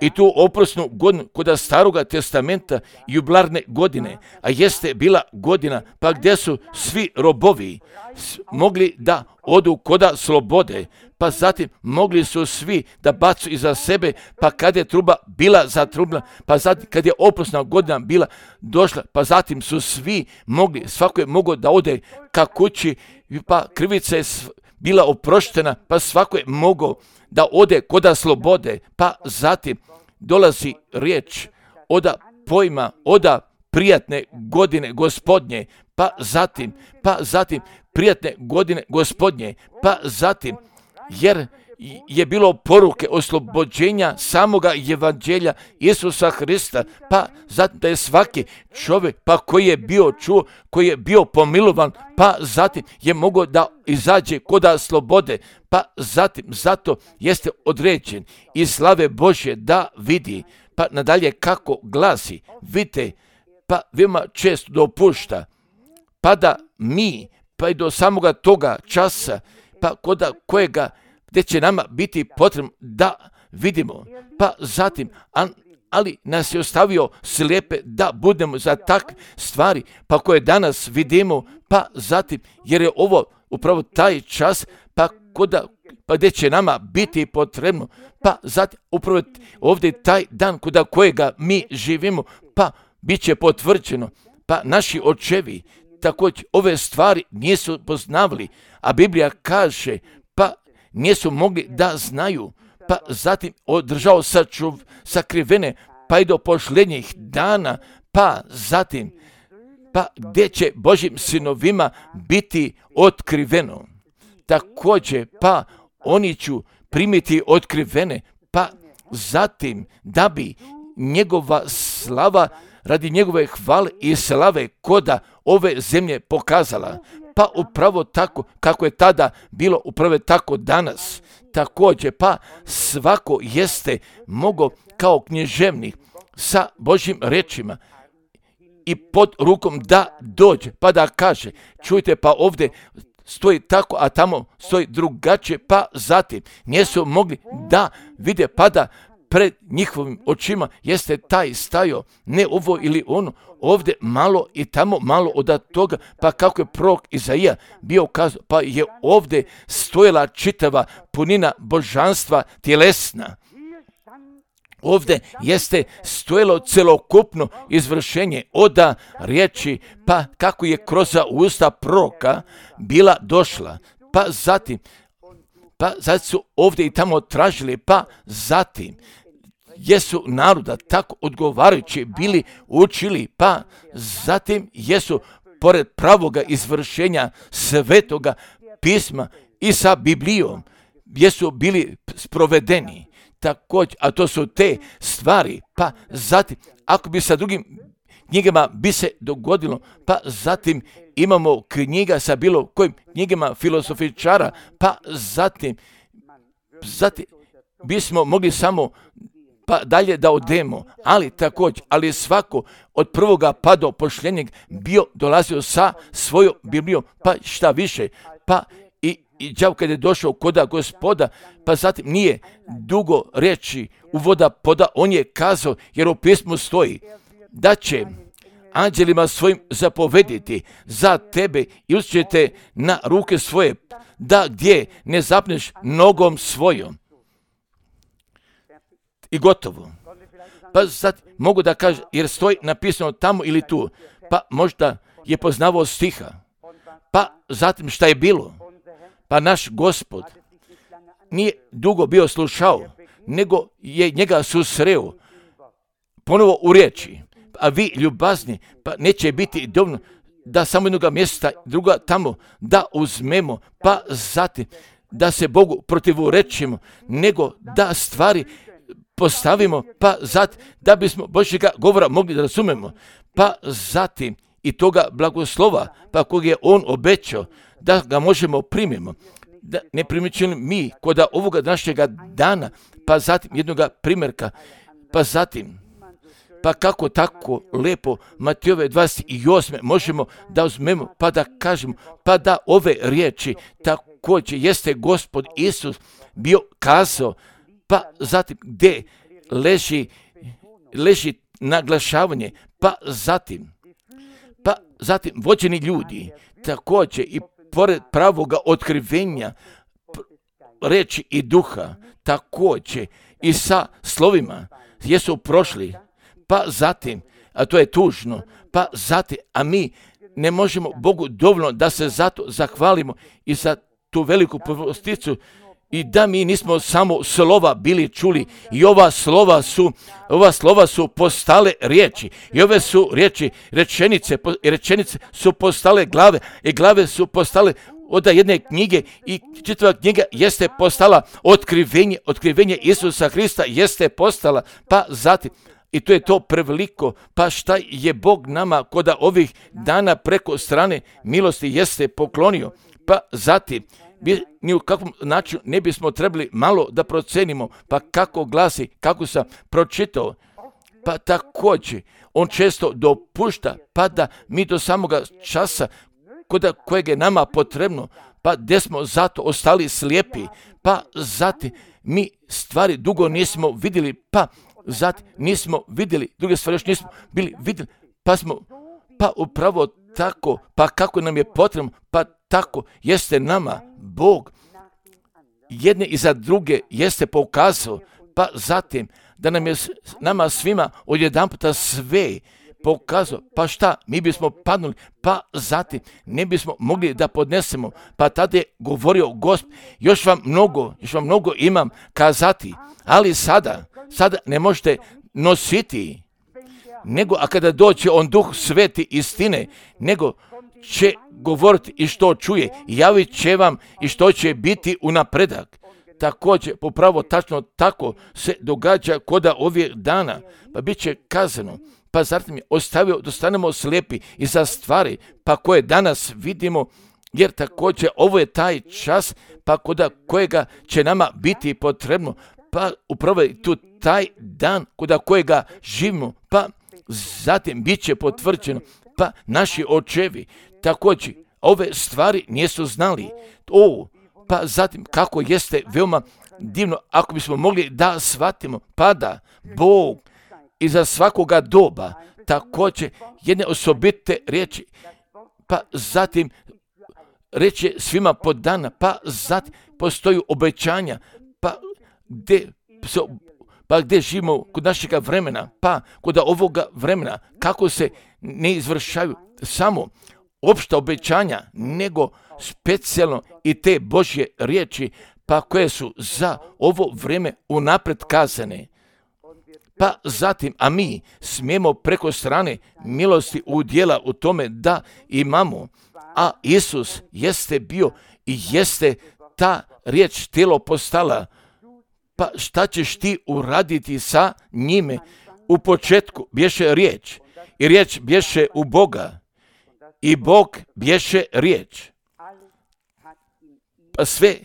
I tu oprosnu godinu kod Staroga testamenta jubilarne godine, a jeste bila godina pa gdje su svi robovi mogli da odu koda slobode, pa zatim mogli su svi da bacu iza sebe, pa kad je truba bila zatrubna, pa zatim kad je oprosna godina bila došla, pa zatim su svi mogli, svako je mogao da ode ka kući, pa krivica je bila oproštena, pa svako je mogao da ode koda slobode, pa zatim dolazi riječ oda pojma, oda prijatne godine Gospodnje, pa zatim, pa zatim prijatne godine Gospodnje, pa zatim, jer je bilo poruke oslobođenja samoga evanđelja Isusa Hrista, pa zatim da je svaki čovjek, pa koji je bio čuo, koji je bio pomilovan, pa zatim je mogao da izađe koda slobode, pa zatim zato jeste određen i slave Božje da vidi, pa nadalje kako glasi, vidite, pa veoma često dopušta, pa da mi, pa i do samoga toga časa, pa koda kojega gdje će nama biti potrebno da vidimo, pa zatim, ali nas je ostavio slijepe da budemo za takve stvari, pa koje danas vidimo, pa zatim, jer je ovo upravo taj čas, pa koda, pa gdje će nama biti potrebno, pa zatim, upravo ovdje taj dan kuda kojega mi živimo, pa bit će potvrđeno, pa naši očevi također ove stvari nisu poznavali, a Biblija kaže, pa nisu mogli da znaju, pa zatim održao sačuv, sakrivene, pa i do posljednjih dana, pa zatim, pa gdje će Božjim sinovima biti otkriveno. Također, pa oni ću primiti otkrivene, pa zatim da bi njegova slava radi njegove hvale i slave koda ove zemlje pokazala. Pa upravo tako kako je tada bilo, upravo tako danas. Također, pa svako jeste mogao kao književnik sa Božjim rečima i pod rukom da dođe, pa da kaže, čujte, pa ovdje stoji tako, a tamo stoji drugačije, pa zatim nisu mogli da vide, pa da pred njihovim očima jeste taj stajao, ne ovo ili ono, ovdje malo i tamo malo od toga, pa kako je prorok Izaija bio kazao, pa je ovdje stojala čitava punina božanstva tjelesna. Ovdje jeste stojalo celokupno izvršenje oda riječi, pa kako je kroz usta proroka bila došla, pa zatim, pa zatim su ovdje i tamo tražili, pa zatim jesu naroda tako odgovarajući bili učili, pa zatim jesu pored pravoga izvršenja svetoga pisma i sa Biblijom jesu bili sprovedeni. Također, a to su te stvari, pa zatim, ako bi sa drugim knjigama bi se dogodilo, pa zatim imamo knjiga sa bilo kojim knjigama filosofičara, pa zatim, zatim bismo mogli samo pa dalje da odemo, ali također, ali svako od prvoga pa do posljednjeg bio dolazio sa svojom Biblijom, pa šta više, pa i, i đavo kad je došao koda Gospoda, pa zatim nije dugo reći uvoda poda, on je kazao, jer u pismu stoji, da će anđelima svojim zapovediti za tebe i uzet na ruke svoje, da gdje ne zapneš nogom svojom. I gotovo. Pa sad mogu da kažem, jer stoji napisano tamo ili tu, pa možda je poznavao stiha. Pa zatim šta je bilo? Pa naš Gospod nije dugo bio slušao, nego je njega susreo ponovo u riječi. A vi ljubazni, pa neće biti dovoljno da samo jednoga mjesta, druga tamo, da uzmemo, pa zatim da se Bogu protivurečimo, nego da stvari postavimo, pa zatim da bismo Božjega govora mogli da razumemo, pa zatim i toga blagoslova, pa kog je on obećao, da ga možemo primimo. Da ne primjećujemo mi kod ovoga našega dana, pa zatim jednoga primjerka, pa zatim, pa kako tako lepo Matejove dvadeset osme možemo da uzmemo, pa da kažemo, pa da ove riječi također jeste Gospod Isus bio kazao, pa zatim gdje leži, leži naglašavanje, pa zatim, pa zatim vođeni ljudi, također i pored pravoga otkrivenja reči i duha, također i sa slovima jesu prošli, pa zatim, a to je tužno, pa zatim, a mi ne možemo Bogu dovoljno da se zato zahvalimo i za tu veliku posticu, i da mi nismo samo slova bili čuli, i ova slova su, ova slova su postale riječi, i ove su riječi, rečenice, rečenice su postale glave, i glave su postale od jedne knjige, i čitava knjiga jeste postala otkrivenje, otkrivenje Isusa Hrista jeste postala, pa zatim, i to je to preveliko, pa šta je Bog nama kod ovih dana preko strane milosti jeste poklonio, pa zatim, ni u kakvom načinu ne bismo trebali malo da procenimo, pa kako glasi, kako sam pročitao, pa također on često dopušta, pa da mi do samoga časa kod kojeg je nama potrebno, pa gdje smo zato ostali slijepi, pa zatim mi stvari dugo nismo vidjeli, pa zatim nismo vidjeli, druge stvari još nismo bili vidjeli, pa smo, pa upravo tako, pa kako nam je potrebno, pa tako jeste nama Bog jedne i za druge jeste pokazao, pa zatim da nam je nama svima odjedanputa sve pokazao, pa šta, mi bismo padnuli, pa zatim ne bismo mogli da podnesemo, pa tada je govorio Gospod, još vam mnogo, još vam mnogo imam kazati, ali sada, sada ne možete nositi, nego a kada doće on Duh Sveti istine, nego će govoriti i što čuje, javit će vam i što će biti u napredak. Također, popravo tačno tako se događa koda ovih dana, pa bit će kazano, pa zatim je ostavio da stanemo slijepi i za stvari, pa koje danas vidimo, jer također ovo je taj čas, pa koda kojega će nama biti potrebno, pa upravo je tu taj dan koda kojega živimo, pa zatim bit će potvrđeno, pa naši očevi također ove stvari nisu znali. O, pa zatim kako jeste veoma divno ako bismo mogli da shvatimo, pa da Bog iza svakoga doba također jedne osobite riječi, pa zatim reče svima po dana, pa zatim postoju obećanja, pa gdje se pa gdje živimo kod našega vremena, pa kod ovoga vremena, kako se ne izvršaju samo opšta obećanja, nego specijalno i te Božje riječi, pa koje su za ovo vrijeme unapred kazane. Pa zatim, a mi smijemo preko strane milosti udjela u tome da imamo, a Isus jeste bio i jeste ta riječ tijelo postala. Pa šta ćeš ti uraditi sa njime? U početku bješe riječ i riječ bješe u Boga i Bog bješe riječ. Pa sve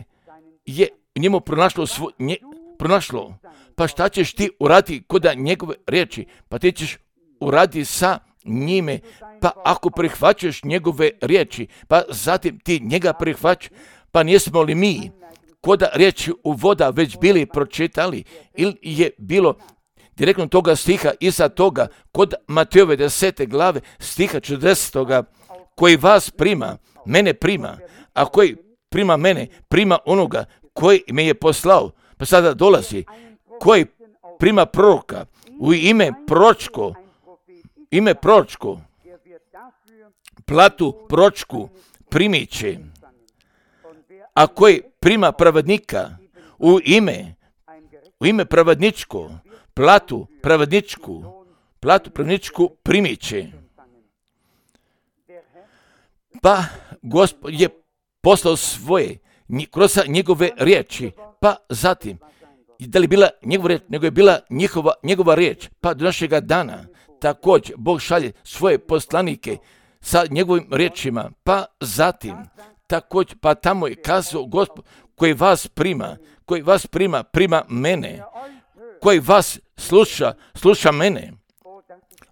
je njemu pronašlo, svo, nje, pronašlo. Pa šta ćeš ti uraditi koda njegove riječi? Pa ti ćeš uraditi sa njime. Pa ako prihvaćaš njegove riječi, pa zatim ti njega prihvaćaš, pa nismo li mi koda riječi u voda već bili pročitali, ili je bilo direktno toga stiha iza toga kod Matejove desete glave stiha četrdesetog koji vas prima, mene prima, a koji prima mene, prima onoga koji me je poslao. Pa sada dolazi, koji prima proroka u ime proročko, ime proročko, platu proročku primit će, a koji prima pravednika u ime, u ime pravedničko, platu pravedničku, platu pravedničku primit će. Pa Gospod je poslao svoje kroz njegove riječi, pa zatim, da li bila njegova riječ, nego je bila njihova, njegova riječ, pa do našega dana također Bog šalje svoje poslanike sa njegovim riječima, pa zatim također, pa tamo je kazao Gospod koji vas prima, koji vas prima, prima mene, koji vas sluša, sluša mene.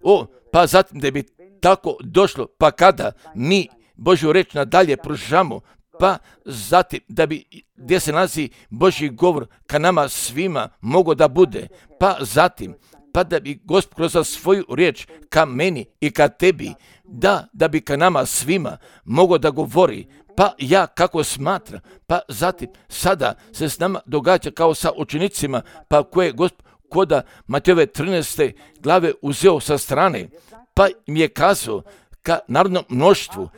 O, pa zatim da bi tako došlo, pa kada mi Božju reč nadalje pružamo, pa zatim da bi gdje se nalazi Božji govor ka nama svima mogo da bude, pa zatim pa da bi Gospod kroz svoju riječ ka meni i ka tebi, da, da bi ka nama svima mogo da govori, pa ja kako smatram, pa zatim sada se s nama događa kao sa učenicima, pa koje Gospod koda Matejove trinaeste glave uzeo sa strane, pa im je kazao ka narodnom mnoštvu,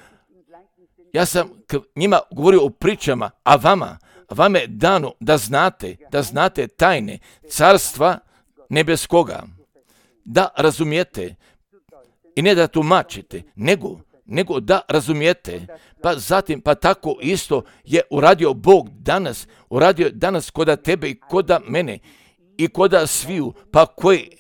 ja sam k njima govorio o pričama, a vama, vama je dano da znate, da znate tajne carstva nebeskoga, da razumijete i ne da tumačite, nego, nego da razumijete. Pa zatim, pa tako isto je uradio Bog danas, uradio danas koda tebe i koda mene i koda sviju, pa koji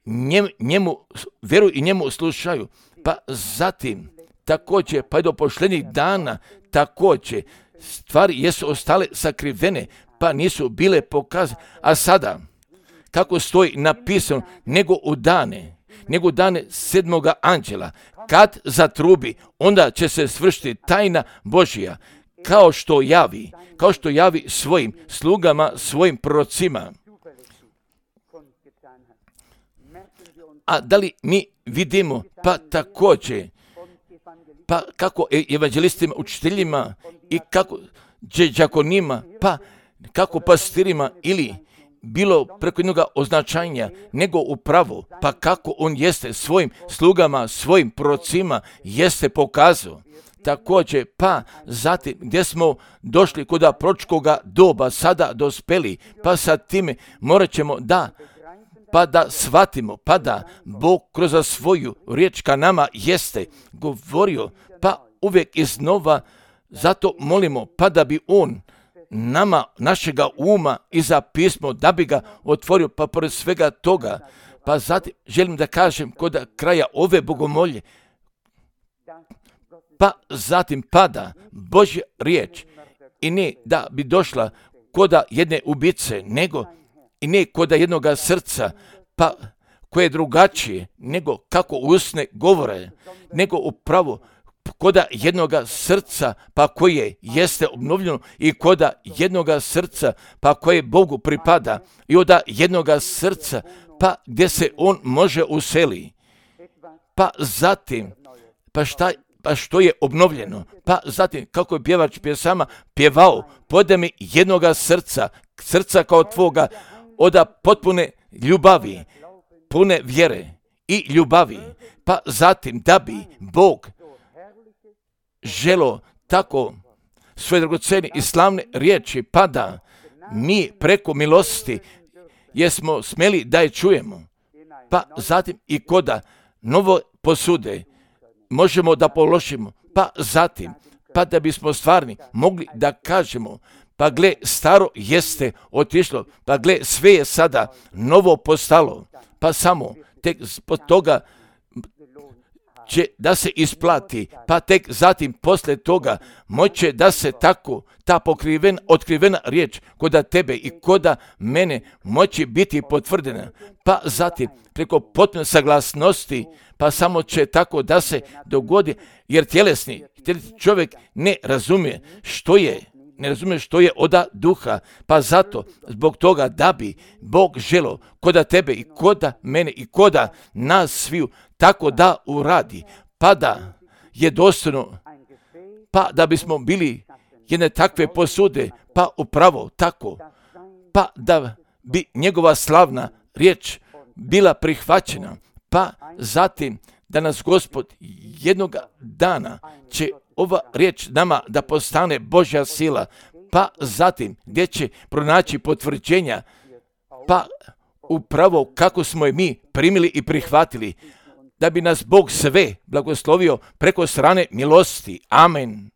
njemu, njemu vjeruju i njemu slušaju. Pa zatim, također, pa i do pošljednjih dana, također, stvari jesu ostale sakrivene, pa nisu bile pokazane. A sada, kako stoji napisano, nego u dane, nego u dane sedmoga anđela, kad zatrubi, onda će se svršiti tajna Božja, kao što javi, kao što javi svojim slugama, svojim prorocima. A da li mi vidimo, pa također, pa kako evanđelistima, učiteljima i kako đakonima, pa kako pastirima ili bilo preko jednog označanja, nego upravo, pa kako on jeste svojim slugama, svojim prorocima jeste pokazao. Također, pa zatim gdje smo došli kod proročkoga doba, sada dospeli, pa sa time morat ćemo da pa da shvatimo, pa da Bog kroz svoju riječ ka nama jeste govorio, pa uvijek iznova, zato molimo, pa da bi on nama, našega uma i za pismo, da bi ga otvorio, pa pored svega toga, pa zatim želim da kažem kod kraja ove bogomolje, pa zatim pada Božja riječ i ne da bi došla koda jedne ubice, nego i ne koda jednoga srca, pa koje je drugačije, nego kako usne govore, nego upravo koda jednoga srca, pa koje jeste obnovljeno i koda jednoga srca, pa koje Bogu pripada i od jednoga srca, pa gdje se on može useli. Pa zatim, pa šta pa što je obnovljeno, pa zatim kako je pjevač pjesama pjevao, podaj mi jednoga srca, srca kao tvoga, oda potpune ljubavi, pune vjere i ljubavi, pa zatim da bi Bog želo tako svoje dragocene i slavne riječi, pa da mi preko milosti jesmo smjeli da je čujemo, pa zatim i koda novo posude možemo da položimo, pa zatim, pa da bismo stvarni mogli da kažemo, pa gle, staro jeste otišlo, pa gle, sve je sada novo postalo, pa samo tek zbog toga će da se isplati, pa tek zatim posle toga moće da se tako ta pokriven, otkrivena riječ koda tebe i koda mene moći biti potvrdena, pa zatim preko potpune saglasnosti, pa samo će tako da se dogodi, jer tjelesni, tjelesni čovjek ne razumije što je, ne razumije što je oda duha, pa zato zbog toga da bi Bog želo koda tebe i koda mene i koda nas sviju tako da uradi, pa da je dostojno, pa da bismo bili jedne takve posude, pa upravo tako, pa da bi njegova slavna riječ bila prihvaćena, pa zatim da nas Gospod jednog dana će ova riječ nama da postane Božja sila, pa zatim gdje će pronaći potvrđenja, pa upravo kako smo je mi primili i prihvatili, da bi nas Bog sve blagoslovio preko strane milosti. Amen.